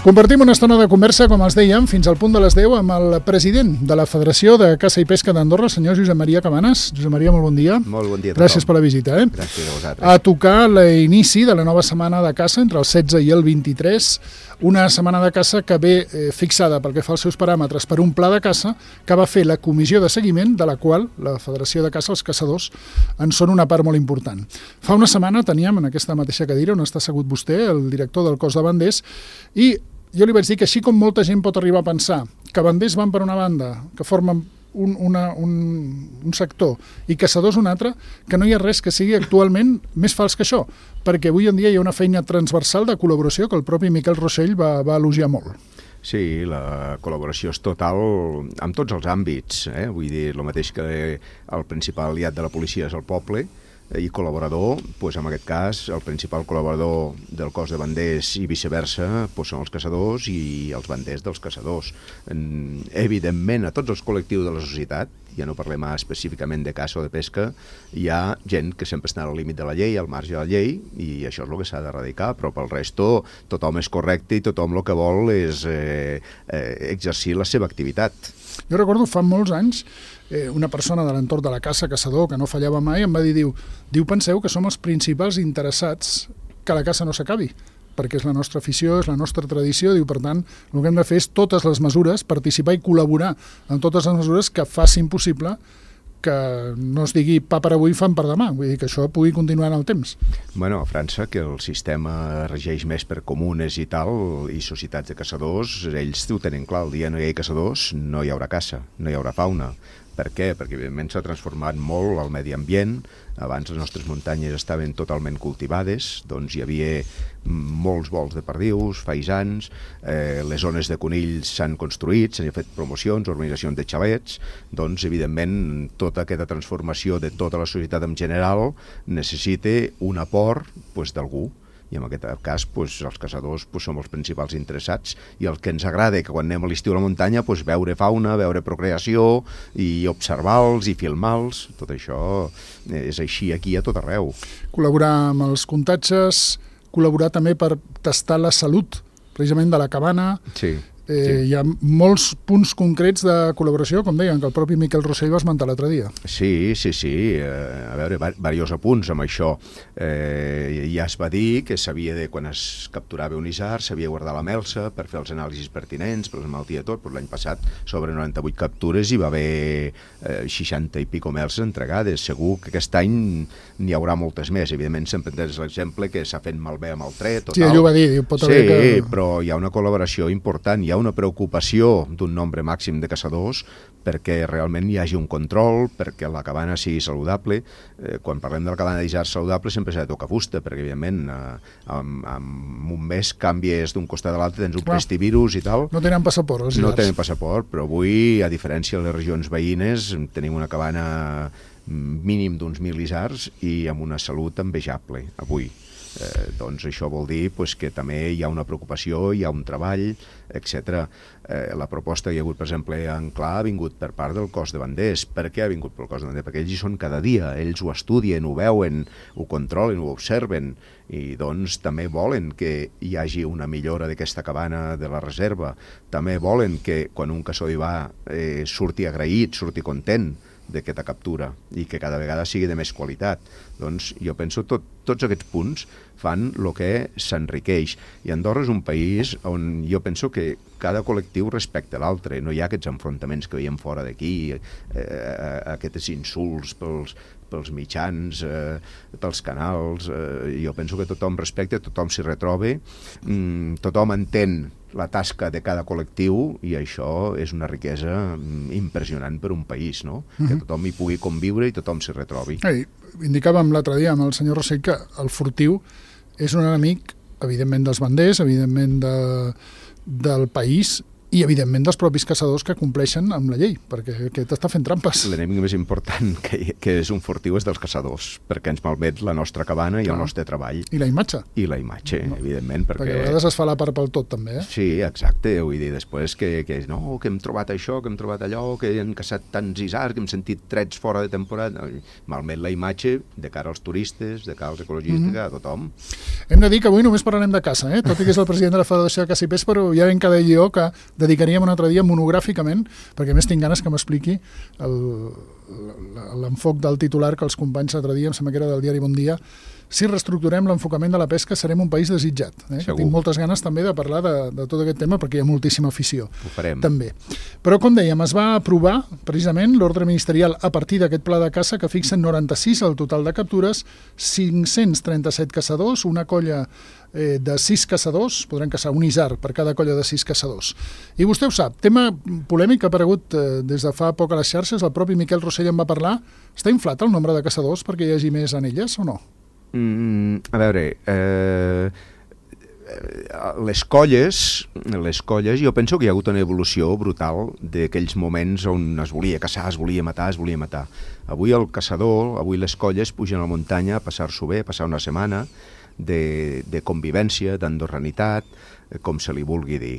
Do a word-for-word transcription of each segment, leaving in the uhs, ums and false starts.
Compartim una estona de conversa, com els dèiem, fins al punt de les deu amb el president de la Federació de Caça i Pesca d'Andorra, senyor Josep Maria Cabanes. Josep Maria, molt bon dia. Molt bon dia a tothom. Gràcies per la visita. Eh? Gràcies a vosaltres. A tocar l'inici de la nova setmana de caça entre el setze i el vint-i-tres, una setmana de caça que ve eh, fixada pel que fa als seus paràmetres per un pla de caça que va fer la comissió de seguiment, de la qual la Federació de Caça, els caçadors, en són una part molt important. Fa una setmana teníem en aquesta mateixa cadira on està assegut vostè, el director del cos de banders, i jo li vaig dir que així com molta gent pot arribar a pensar que banders van per una banda, que formen un, una, un, un sector, i caçadors un altre, que no hi ha res que sigui actualment més fals que això, perquè avui en dia hi ha una feina transversal de col·laboració que el propi Miquel Rossell va, va elogiar molt. Sí, la col·laboració és total en tots els àmbits. Eh? Vull dir, el mateix que el principal aliat de la policia és el poble, i col·laborador, doncs en aquest cas, el principal col·laborador del cos de banders i viceversa doncs són els caçadors i els banders dels caçadors. Evidentment, a tots els col·lectius de la societat, ja no parlem específicament de caça o de pesca, hi ha gent que sempre està al límit de la llei, al marge de la llei, i això és el que s'ha d'erradicar, però pel resto tothom és correcte i tothom el que vol és eh, eh, exercir la seva activitat. Jo recordo fa molts anys eh, una persona de l'entorn de la caça, caçador, que no fallava mai, em va dir, diu, diu penseu que som els principals interessats que la caça no s'acabi, perquè és la nostra afició, és la nostra tradició, diu, per tant, el que hem de fer és totes les mesures, participar i col·laborar en totes les mesures que facin possible que no es digui pa per avui, fam per demà, vull dir que això pugui continuar en el temps. Bueno, a França, que el sistema regeix més per comunes i tal, i societats de caçadors, ells ho tenen clar, el dia no hi ha caçadors, no hi haurà caça, no hi haurà fauna. Per què? Perquè evidentment s'ha transformat molt el medi ambient. Abans les nostres muntanyes estaven totalment cultivades, doncs hi havia molts vols de perdius, faisans, eh, les zones de conills s'han construït, s'han fet promocions, organitzacions de xalets, doncs evidentment tota aquesta transformació de tota la societat en general necessita un aport doncs, d'algú. I en aquest cas doncs, els caçadors doncs, som els principals interessats, i el que ens agrada que quan anem a l'estiu a la muntanya doncs, veure fauna, veure procreació i observar-los i filmar-los, tot això és així aquí a tot arreu. Col·laborar amb els comptatges, col·laborar també per tastar la salut precisament de la cabana. Sí. Eh, sí. Hi ha molts punts concrets de col·laboració, com deien, que el propi Miquel Rossell va esmentar l'altre dia. Sí, sí, sí. Eh, a veure, diversos apunts amb això. Eh, ja es va dir que s'havia de, quan es capturava un isard, s'havia de guardar la melsa per fer els anàlisis pertinents, per les malalties i tot, però l'any passat sobre noranta-vuit captures hi va haver eh, seixanta i pico melses entregades. Segur que aquest any n'hi haurà moltes més. Evidentment, sempre tens l'exemple que s'ha fet malbé amb el tret. Sí, ell ho va dir. Diu, pot haver sí, que... però hi ha una col·laboració important, hi ha una preocupació d'un nombre màxim de caçadors perquè realment hi hagi un control, perquè la cabana sigui saludable. Eh, quan parlem de la cabana d'isard saludable sempre s'ha de tocar fusta, perquè evidentment eh, en, en un mes canvies d'un costat a l'altre, tens un pestivirus i tal. No tenen passaport, els No iards. tenen passaport, però avui, a diferència de les regions veïnes, tenim una cabana mínim d'uns mil isards i amb una salut envejable, avui. Eh, doncs això vol dir pues, que també hi ha una preocupació, hi ha un treball, etcètera. Eh, la proposta que hi ha hagut, per exemple, en Clar ha vingut per part del cos de banders. Per què ha vingut pel cos de banders? Perquè ells hi són cada dia, ells ho estudien, ho veuen, ho controlen, ho observen, i doncs també volen que hi hagi una millora d'aquesta cabana de la reserva. També volen que quan un caçador hi va eh, surti agraït, surti content d'aquesta captura i que cada vegada sigui de més qualitat. Doncs jo penso tot, tots aquests punts fan el que s'enriqueix, i Andorra és un país on jo penso que cada col·lectiu respecta l'altre, no hi ha aquests enfrontaments que veiem fora d'aquí, eh, aquests insults pels, pels mitjans, eh, pels canals. Eh, jo penso que tothom respecta, tothom s'hi retroba, mm, tothom entén la tasca de cada col·lectiu, i això és una riquesa impressionant per un país, no? Uh-huh. Que tothom hi pugui conviure i tothom s'hi retrobi. Ei, indicàvem l'altre dia amb el senyor Rossell que el furtiu és un enemic, evidentment, dels banders, evidentment de, del país, i, evidentment, dels propis caçadors que compleixen amb la llei, perquè aquest està fent trampes. L'enemic més important que, que és un furtiu és dels caçadors, perquè ens malmet la nostra cabana i Clar. el nostre treball. I la imatge. I la imatge, no. evidentment. Perquè... perquè a vegades es fa la part pel tot, també. Eh? Sí, exacte. Vull dir, després que, que no, que hem trobat això, que hem trobat allò, que han caçat tants isars, que hem sentit trets fora de temporada. Malmet la imatge de cara als turistes, de cara als ecologistes, mm-hmm. de cara a tothom. Hem de dir que avui només parlarem de caça, eh? tot i que és el president de la Federació de Caça i Pes, però ja ben cada llió que dedicaríem un altre dia monogràficament, perquè a més tinc ganes que m'expliqui l'enfoc del titular que els companys l'altre dia, em sembla que era del diari Bon Dia, si reestructurem l'enfocament de la pesca serem un país desitjat. Eh? Tinc moltes ganes també de parlar de, de tot aquest tema perquè hi ha moltíssima afició. Ho farem. També. Però, com dèiem, es va aprovar precisament l'ordre ministerial a partir d'aquest pla de caça que fixa noranta-sis el total de captures, cinc-cents trenta-set caçadors, una colla eh, de sis caçadors, podran caçar un isard per cada colla de sis caçadors. I vostè ho sap, tema polèmic que ha aparegut eh, des de fa poc a les xarxes, el propi Miquel Rossell en va parlar, està inflat el nombre de caçadors perquè hi hagi més anelles o no? Mm, a veure, eh, les colles, les colles, jo penso que hi ha hagut una evolució brutal d'aquells moments on es volia caçar, es volia matar, es volia matar. Avui el caçador, avui les colles pugen a la muntanya a passar-s'ho bé, a passar una setmana de, de convivència, d'andorranitat, com se li vulgui dir.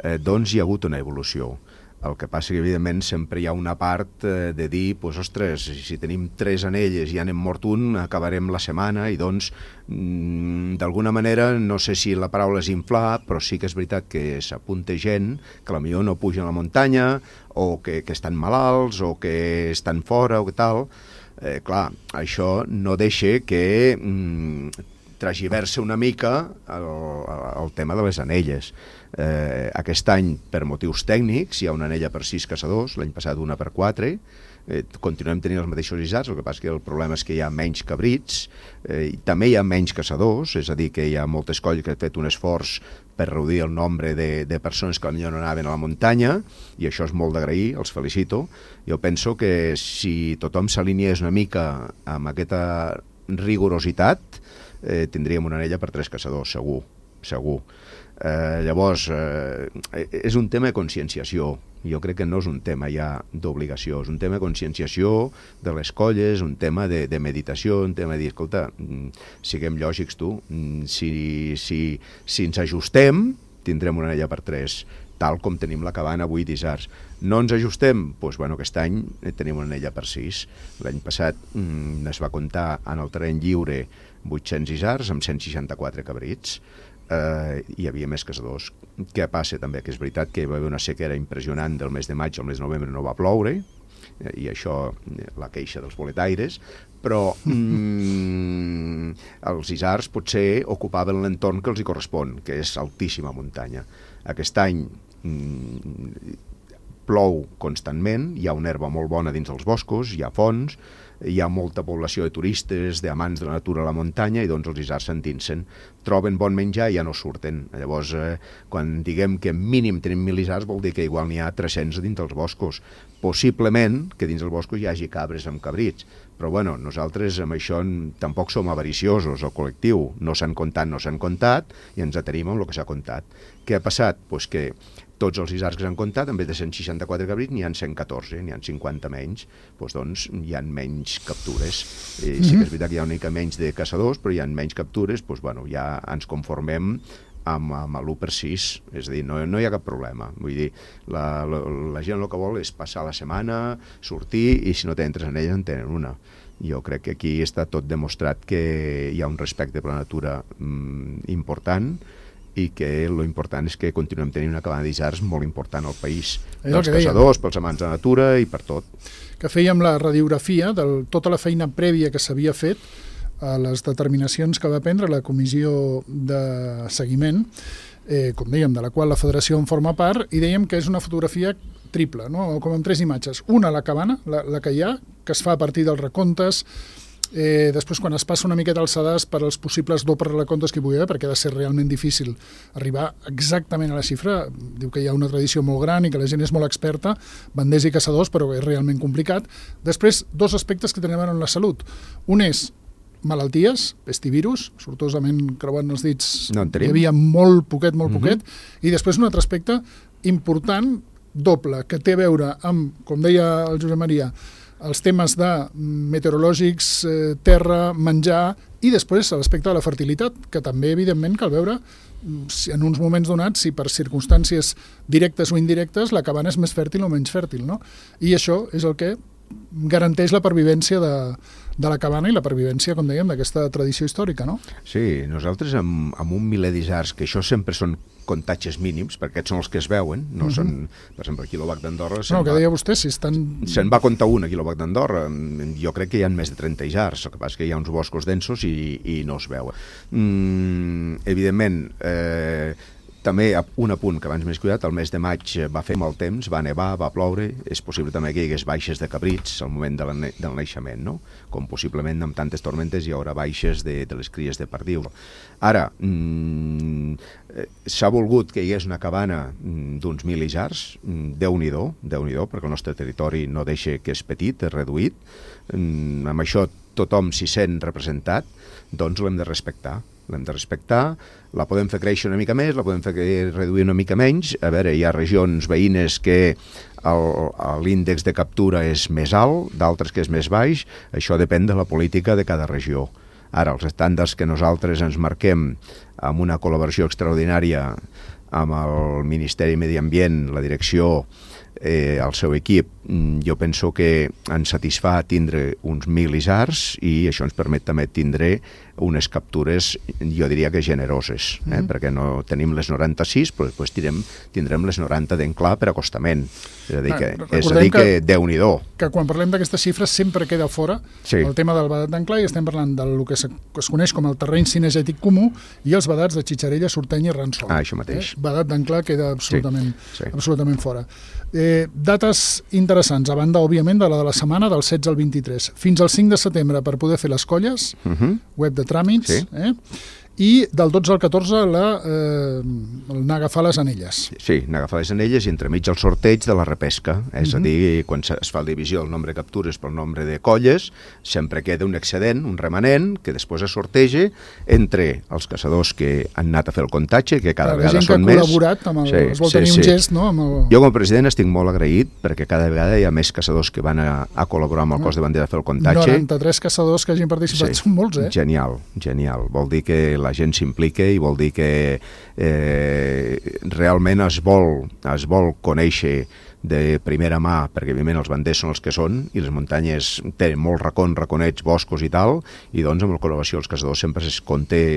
Eh, doncs hi ha hagut una evolució. El que passa que, evidentment, sempre hi ha una part eh, de dir, pues, ostres, si tenim tres anelles i ja n'hem mort un, acabarem la setmana i, doncs, mm, d'alguna manera, no sé si la paraula és inflar, però sí que és veritat que s'apunta gent que potser no puja a la muntanya o que, que estan malalts o que estan fora o que tal. Eh, clar, això no deixa que mm, tragiverse una mica el, el tema de les anelles. Eh, aquest any, per motius tècnics, hi ha una anella per sis caçadors, l'any passat una per quatre, eh, continuem tenint els mateixos isards, el que passa que el problema és que hi ha menys cabrits, eh, i també hi ha menys caçadors, és a dir, que hi ha moltes colles que han fet un esforç per reduir el nombre de, de persones que potser no anaven a la muntanya, i això és molt d'agrair, els felicito. Jo penso que si tothom s'alineés una mica amb aquesta rigorositat, eh, tindríem una anella per tres caçadors, segur, segur. Eh, llavors, eh, és un tema de conscienciació. Jo crec que no és un tema ja d'obligació, és un tema de conscienciació de les colles, un tema de, de meditació, un tema de dir, escolta, siguem lògics tu, si, si, si ens ajustem, tindrem una anella per tres, tal com tenim la cabana avui d'isards. No ens ajustem? Doncs, bueno, aquest any tenim una anella per sis. L'any passat mm, es va comptar en el terreny lliure vuit-cents isards amb cent seixanta-quatre cabrits. Uh, hi havia més caçadors. Què passa també? Que és veritat que hi va haver una sequera impressionant del mes de maig al mes de novembre, no va ploure, eh, i això, la queixa dels boletaires, però mm, els isards potser ocupaven l'entorn que els hi correspon, que és altíssima muntanya. Aquest any mm, plou constantment, hi ha una herba molt bona dins els boscos, hi ha fonts, hi ha molta població de turistes, d'amants de la natura a la muntanya, i doncs els isards s'endinsen, troben bon menjar i ja no surten. Llavors, eh, quan diguem que mínim tenim mil isards, vol dir que igual n'hi ha tres-cents dins dels boscos. Possiblement que dins dels boscos hi hagi cabres amb cabrits, però bueno, nosaltres amb això tampoc som avariciosos, el col·lectiu. No s'han comptat, no s'han comptat, i ens atenim amb el que s'ha comptat. Què ha passat? Pues que tots els isards que s'han comptat, en vez de cent seixanta-quatre cabrits, n'hi ha cent catorze, n'hi ha cinquanta menys, doncs, doncs hi ha menys captures. Eh, sí que és veritat que hi ha una mica menys de caçadors, però hi ha menys captures, doncs, bueno, ja ens conformem amb, amb l'u per sis, és a dir, no, no hi ha cap problema. Vull dir, la, la, la gent el que vol és passar la setmana, sortir, i si no tenen tres anelles en tenen una. Jo crec que aquí està tot demostrat que hi ha un respecte per la natura mm, important, i que lo important és que continuem tenint una cabana d'isards molt important al país, pels caçadors, pels amants de la natura i per tot. Que fèiem la radiografia de tota la feina prèvia que s'havia fet a les determinacions que va prendre la comissió de seguiment, eh, com dèiem, de la qual la federació en forma part, i dèiem que és una fotografia triple, no? Com amb tres imatges. Una, la cabana, la, la que hi ha, que es fa a partir dels recomptes. Eh, després, quan es passa una miqueta al sedàs per als possibles dobles recomptes que hi pugui haver, perquè ha de ser realment difícil arribar exactament a la xifra, diu que hi ha una tradició molt gran i que la gent és molt experta, banders i caçadors, però és realment complicat. Després, dos aspectes que tenen a veure amb la salut. Un és malalties, pestivirus, sortosament creuant els dits, no hi havia molt poquet, molt poquet, uh-huh. I després un altre aspecte important, doble, que té a veure amb, com deia el Josep Maria, els temes de meteorològics, eh, terra, menjar, i després l'aspecte de la fertilitat, que també, evidentment, cal veure si en uns moments donats, si per circumstàncies directes o indirectes, la cabana és més fèrtil o menys fèrtil, no? I això és el que garanteix la pervivència de, de la cabana i la pervivència, com dèiem, d'aquesta tradició històrica, no? Sí, nosaltres amb, amb un miler d'isards, que això sempre són comptatges mínims, perquè aquests són els que es veuen, no uh-huh. són, per exemple, el quilòvac d'Andorra... No, que deia vostè, si estan... Se'n va comptar un, a quilòvac d'Andorra. Jo crec que hi ha més de trenta isards, el que passa que hi ha uns boscos densos i, i no es veuen. Mm, evidentment, eh, també un apunt que abans m'he cuidat, el mes de maig va fer mal temps, va nevar, va ploure, és possible també que hi hagués baixes de cabrits al moment de la, del naixement, no? Com possiblement amb tantes tormentes hi haurà baixes de, de les cries de perdiu. Ara, mmm, s'ha volgut que hi hagués una cabana d'uns mil isards, Déu-n'hi-do, Déu-n'hi-do, perquè el nostre territori no deixa que és petit, és reduït, mm, amb això tothom s'hi sent representat, doncs l'hem de respectar. L'hem de respectar, la podem fer créixer una mica més, la podem fer reduir una mica menys. A veure, hi ha regions veïnes que l'índex de captura és més alt, d'altres que és més baix, això depèn de la política de cada regió. Ara, els estàndards que nosaltres ens marquem amb una col·laboració extraordinària amb el Ministeri de Medi Ambient, la direcció, eh, el seu equip, jo penso que ens satisfà tindre uns mil isards i això ens permet també tindre unes captures, jo diria que generoses, eh? Mm. perquè no tenim les noranta-sis, però després tindrem, tindrem les noranta d'enclar per acostament. És a dir, que, ah, és a dir que, que Déu-n'hi-do. Que quan parlem d'aquestes xifres sempre queda fora sí. el tema del vedat d'enclar i estem parlant del que es, que es coneix com el terreny cinegètic comú i els vedats de Xitxarella, Sorteny i Ransol. Ah, això mateix. Eh? Vedat d'enclar queda absolutament, sí. Sí. absolutament fora. Eh, dates interessants, a banda, òbviament, de la de la setmana del setze al vint-i-tres. Fins al cinc de setembre per poder fer les colles, uh-huh. web de tràmits, sí. eh? i del dotze al catorze la, eh, anar a agafar les anelles. Sí, anar a agafar les anelles i entremig el sorteig de la repesca. És uh-huh. a dir, quan es fa la divisió del nombre de captures pel nombre de colles, sempre queda un excedent, un remanent, que després es sorteja entre els caçadors que han anat a fer el comptatge, que cada Clar, vegada són més. La gent que ha col·laborat, amb el, sí, es vol sí, tenir sí. un gest, no? Amb el... Jo com a president estic molt agraït perquè cada vegada hi ha més caçadors que van a, a col·laborar amb el cos de bandera a fer el comptatge. noranta-tres caçadors que hagin participat, sí. són molts, eh? Genial, genial. Vol dir que la gent s'implica i vol dir que eh, realment es vol, es vol conèixer de primera mà, perquè evidentment els banders són els que són i les muntanyes tenen molts racons, raconets, boscos i tal, i doncs amb la col·laboració dels caçadors sempre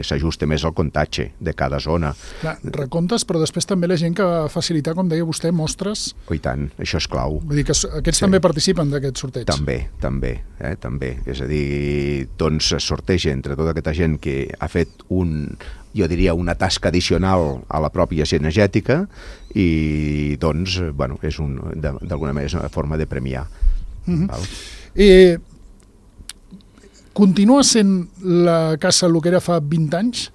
s'ajusta més al comptatge de cada zona. Clar, recomptes, però després també la gent que va facilitar, com deia vostè, mostres... Oh, i tant, això és clau. Vull dir que aquests sí. també participen d'aquest sorteig. També, també, eh, també. És a dir, doncs es sorteja entre tota aquesta gent que ha fet un... jo diria una tasca addicional a la pròpia cinegètica i doncs, bueno, és un, d'alguna manera és una forma de premiar. Mm-hmm. Val? Eh, continua sent la caça el que era fa vint anys?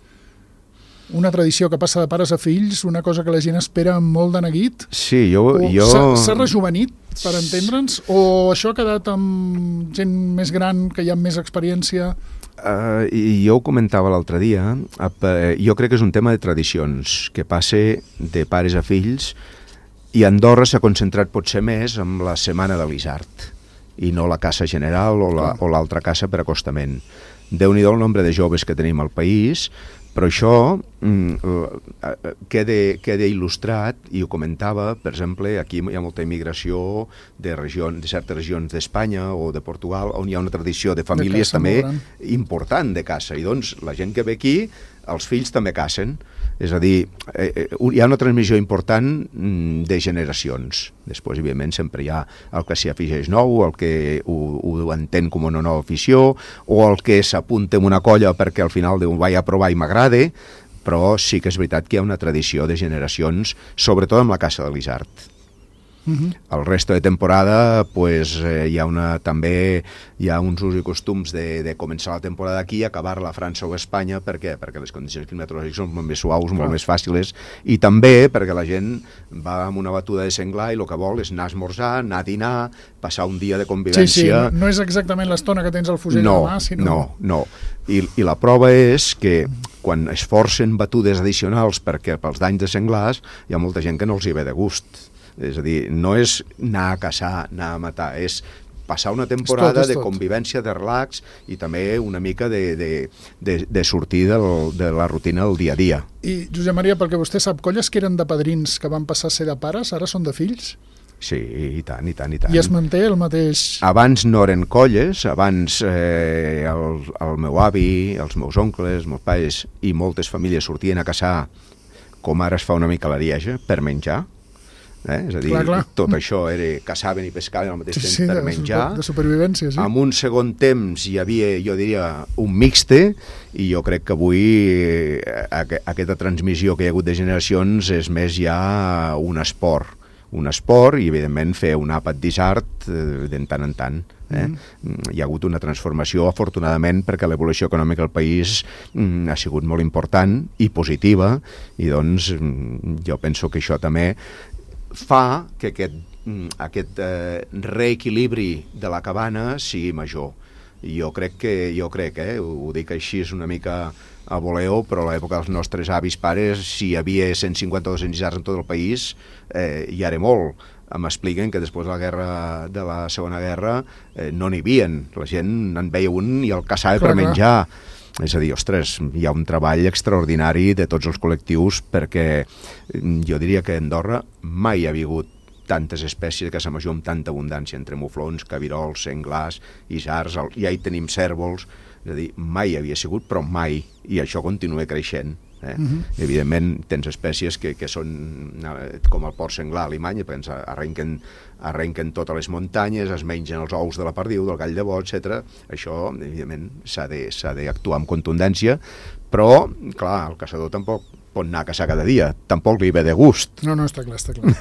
Una tradició que passa de pares a fills, una cosa que la gent espera amb molt de neguit? Sí, jo... jo... S'ha rejuvenit, per entendre'ns? O això ha quedat amb gent més gran, que hi ha més experiència... Uh, i jo ho comentava l'altre dia, uh, jo crec que és un tema de tradicions, que passe de pares a fills, i Andorra s'ha concentrat potser més amb la setmana de l'isard, i no la caça general o la, o l'altra caça per acostament. Déu-n'hi-do el nombre de joves que tenim al país, però això mm, queda, queda il·lustrat, i ho comentava, per exemple, aquí hi ha molta immigració de, region, de certes regions d'Espanya o de Portugal, on hi ha una tradició de famílies de també important de caça, i doncs la gent que ve aquí, els fills també cacen. És a dir, eh, hi ha una transmissió important de generacions. Després, evidentment, sempre hi ha el que s'hi afegeix nou, el que ho, ho entén com una nova afició, o el que s'apunta en una colla perquè al final diu, vaig a provar i m'agrada, però sí que és veritat que hi ha una tradició de generacions, sobretot amb la caça de l'isard. Uh-huh. El resto de temporada pues, eh, hi ha una, també hi ha uns usos i costums de, de començar la temporada aquí i acabar-la a França o a Espanya. Per què? Perquè les condicions climatològiques són molt més suaus, molt més fàcils, i també perquè la gent va amb una batuda de senglar i el que vol és anar a esmorzar, anar a dinar, passar un dia de convivència. Sí, sí, no, no és exactament l'estona que tens al fusell no, a la mà, sinó... No, no, I, i la prova és que quan es forcen batudes addicionals perquè pels danys de senglars hi ha molta gent que no els hi ve de gust. És a dir, no és anar a caçar, anar a matar, és passar una temporada tot, de convivència, de relax i també una mica de, de, de, de sortir del, de la rutina del dia a dia. I, Josep Maria, perquè vostè sap, colles que eren de padrins que van passar a ser de pares, ara són de fills? Sí, i tant, i tant, i tant. I es manté el mateix... Abans no eren colles, abans eh, el, el meu avi, els meus oncles, els meus pares i moltes famílies sortien a caçar, com ara es fa una mica a l'Arieja, per menjar. Eh? És a dir, clar, clar. Tot això era caçaven i pescaven al mateix sí, temps sí, per de, menjar. De supervivència, sí. En un segon temps hi havia, jo diria, un mixte, i jo crec que avui eh, aquesta transmissió que hi ha hagut de generacions és més ja un esport. Un esport i, evidentment, fer un àpat d'isart eh, de tant en tant. Eh? Mm. Hi ha hagut una transformació, afortunadament, perquè l'evolució econòmica del país mm, ha sigut molt important i positiva, i doncs jo penso que això també fa que aquest, aquest eh, reequilibri de la cabana sigui major. I jo crec que, jo crec, eh, ho dic així, és una mica a voleo, però a l'època dels nostres avis pares, si hi havia cent cinquanta o dos-cents isards en tot el país, eh, hi era molt. M'expliquen que després de la guerra de la Segona Guerra eh, no n'hi havien. La gent en veia un i el caçava clar, per menjar. Clar. És a dir, ostres, hi ha un treball extraordinari de tots els col·lectius perquè jo diria que a Andorra mai hi ha hagut tantes espècies de caça major amb tanta abundància, entre muflons, cabirols, senglars, isards, ja hi tenim cèrvols, és a dir, mai hi havia sigut, però mai, i això continua creixent. Eh? Uh-huh. Evidentment tens espècies que, que són com el porc senglar alemany, ens arrenquen, arrenquen totes les muntanyes, es mengen els ous de la perdiu, del gall de bo, etcètera. Això, evidentment, s'ha de, s'ha d'actuar amb contundència, però, clar, el caçador tampoc pot anar a caçar cada dia, tampoc li ve de gust. No, no, està clar, està clar.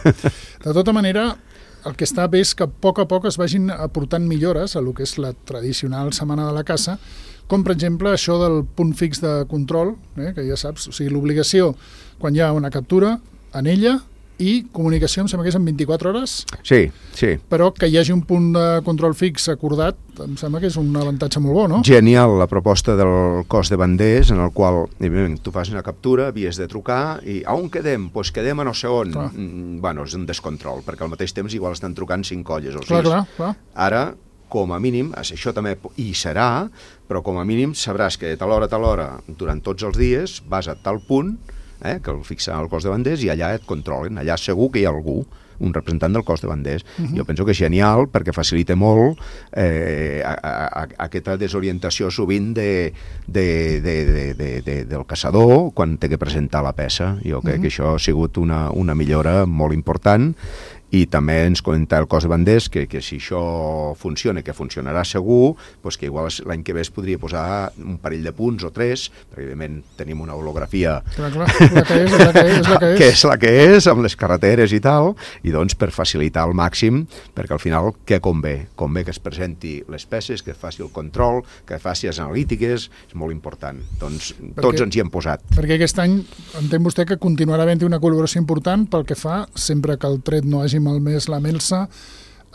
De tota manera, el que està bé és que a poc a poc es vagin aportant millores a lo que és la tradicional setmana de la caça, com per exemple això del punt fix de control, eh, que ja saps, o sigui, l'obligació quan hi ha una captura en ella i comunicació, em sembla que és en vint-i-quatre hores. Sí, sí. Però que hi hagi un punt de control fix acordat, em sembla que és un avantatge molt bo, no? Genial, la proposta del cos de banders, en el qual, evidentment, tu fas una captura, havies de trucar, i a on quedem? Doncs pues quedem a no sé on. Mm, bueno, és un descontrol, perquè al mateix temps igual estan trucant cinc colles o sis. Clar, clar, clar. Ara, com a mínim, això també hi serà, però com a mínim sabràs que de tal hora a tal hora, durant tots els dies, vas a tal punt, eh, que el fixen al cos de banders, i allà et controlen, allà segur que hi ha algú, un representant del cos de banders. Uh-huh. Jo penso que és genial perquè facilita molt eh, a, a, a, aquesta desorientació sovint de, de, de, de, de, de, del caçador quan té que presentar la peça. Jo crec uh-huh. que això ha sigut una, una millora molt important. I també ens comenta el cos de banders que, que si això funciona, que funcionarà segur, doncs que igual l'any que ve es podria posar un parell de punts o tres, perquè evidentment tenim una holografia clar, clar, la que és, la que és, la que és. que és la que és, amb les carreteres i tal, i doncs per facilitar al màxim, perquè al final què convé? Convé que es presenti les peces, que es faci el control, que faci les analítiques, és molt important. Doncs perquè, tots ens hi hem posat. Perquè aquest any entén vostè que continuarà havent-hi una col·laboració important pel que fa, sempre que el tret no hagi malmès la melsa,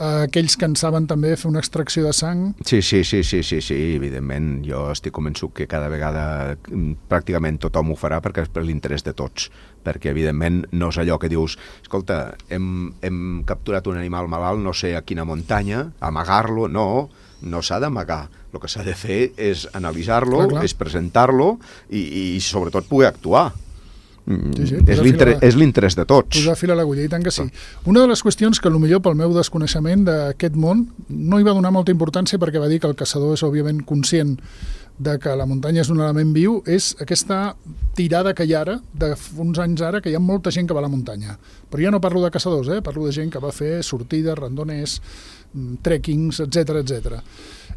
eh, aquells que en saben també fer una extracció de sang. Sí, sí, sí, sí, sí, sí, evidentment. Jo estic convençut que cada vegada pràcticament tothom ho farà perquè és per l'interès de tots. Perquè, evidentment, no és allò que dius escolta, hem, hem capturat un animal malalt, no sé a quina muntanya, amagar-lo, no, no s'ha d'amagar. El que s'ha de fer és analitzar-lo, és presentar-lo i, i sobretot poder actuar. Sí, sí, és l'interès de tots. Posar fil a l'agulla, i tant que sí. Una de les qüestions que potser pel meu desconeixement d'aquest món no hi va donar molta importància perquè va dir que el caçador és òbviament conscient de que la muntanya és un element viu, és aquesta tirada que hi ha ara, d'uns anys ara, que hi ha molta gent que va a la muntanya. Però ja no parlo de caçadors, eh? Parlo de gent que va fer sortides, randoners, trekkings, etcètera, etcètera.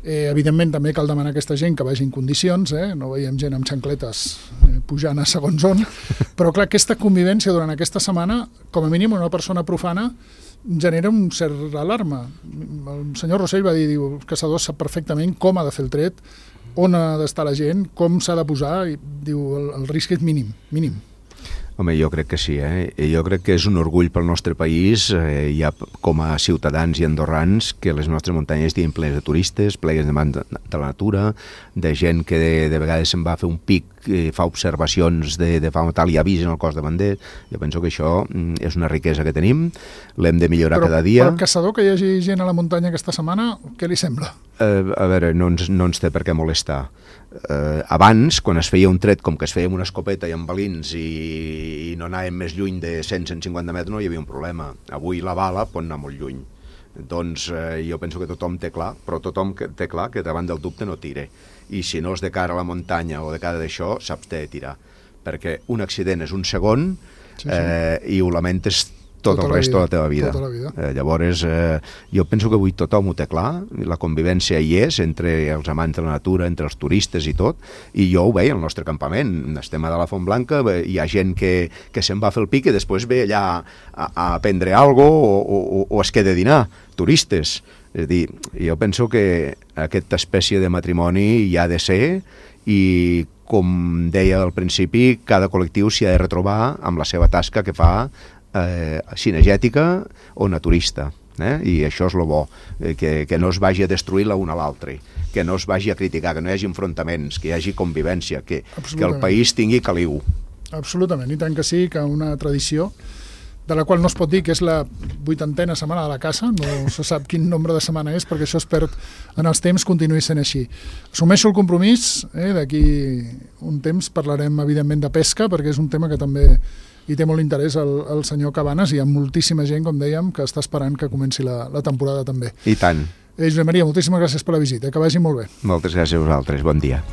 Eh, evidentment també cal demanar a aquesta gent que vagi en condicions, eh? No veiem gent amb xancletes eh, pujant a segons on, però clar, aquesta convivència durant aquesta setmana, com a mínim una persona profana genera un cert alarma. El senyor Rossell va dir, diu, el caçador sap perfectament com ha de fer el tret, on ha d'estar la gent, com s'ha de posar, i diu, el, el risc és mínim, mínim. Home, jo crec que sí, eh? Jo crec que és un orgull pel nostre país, eh, ja com a ciutadans i andorrans, que les nostres muntanyes estiguin plenes de turistes, plenes de, de la natura, de gent que de, de vegades se'n va a fer un pic, eh, fa observacions de, de fauna tal i avisen el cos de bandet. Jo penso que això mm, és una riquesa que tenim, l'hem de millorar Però cada dia. Però el caçador que hi hagi gent a la muntanya aquesta setmana, què li sembla? Eh, a veure, no ens, no ens té per què molestar. Eh, abans, quan es feia un tret com que es feia amb una escopeta i amb balins i, i no anàvem més lluny de cent a cent cinquanta metres, no hi havia un problema. Avui la bala pot anar molt lluny. Doncs eh, jo penso que tothom té clar, però tothom que té clar que davant del dubte no tire. I si no és de cara a la muntanya o de cara d'això, saps de tirar. Perquè un accident és un segon sí, sí. Eh, i ho lamentes tot tota el rest de la teva vida. Tota la vida. Eh, llavors, eh, jo penso que avui tothom ho té clar, la convivència hi és entre els amants de la natura, entre els turistes i tot, i jo ho veia al nostre campament. Estem a de la Font Blanca, hi ha gent que, que se'n va a fer el pic i després ve allà a, a prendre alguna cosa o, o, o es queda a dinar, turistes. És a dir, jo penso que aquesta espècie de matrimoni hi ha de ser i, com deia al principi, cada col·lectiu s'hi ha de retrobar amb la seva tasca que fa Eh, cinegètica o naturista, eh? I això és el bo, eh, que, que no es vagi a destruir l'un a l'altre, que no es vagi a criticar, que no hi hagi enfrontaments, que hi hagi convivència, que, que el país tingui caliu. Absolutament, i tant que sí, que una tradició de la qual no es pot dir que és la vuitantena setmana de la caça, no se sap quin nombre de setmana és perquè això es perd en els temps, continuï sent així. Assumeixo el compromís, eh, d'aquí un temps parlarem evidentment de pesca perquè és un tema que també i té molt interès el, el senyor Cabanes i hi ha moltíssima gent, com dèiem, que està esperant que comenci la, la temporada també. I tant. Eh, Josep Maria, moltíssimes gràcies per la visita, que vagi molt bé. Moltes gràcies a vosaltres, bon dia.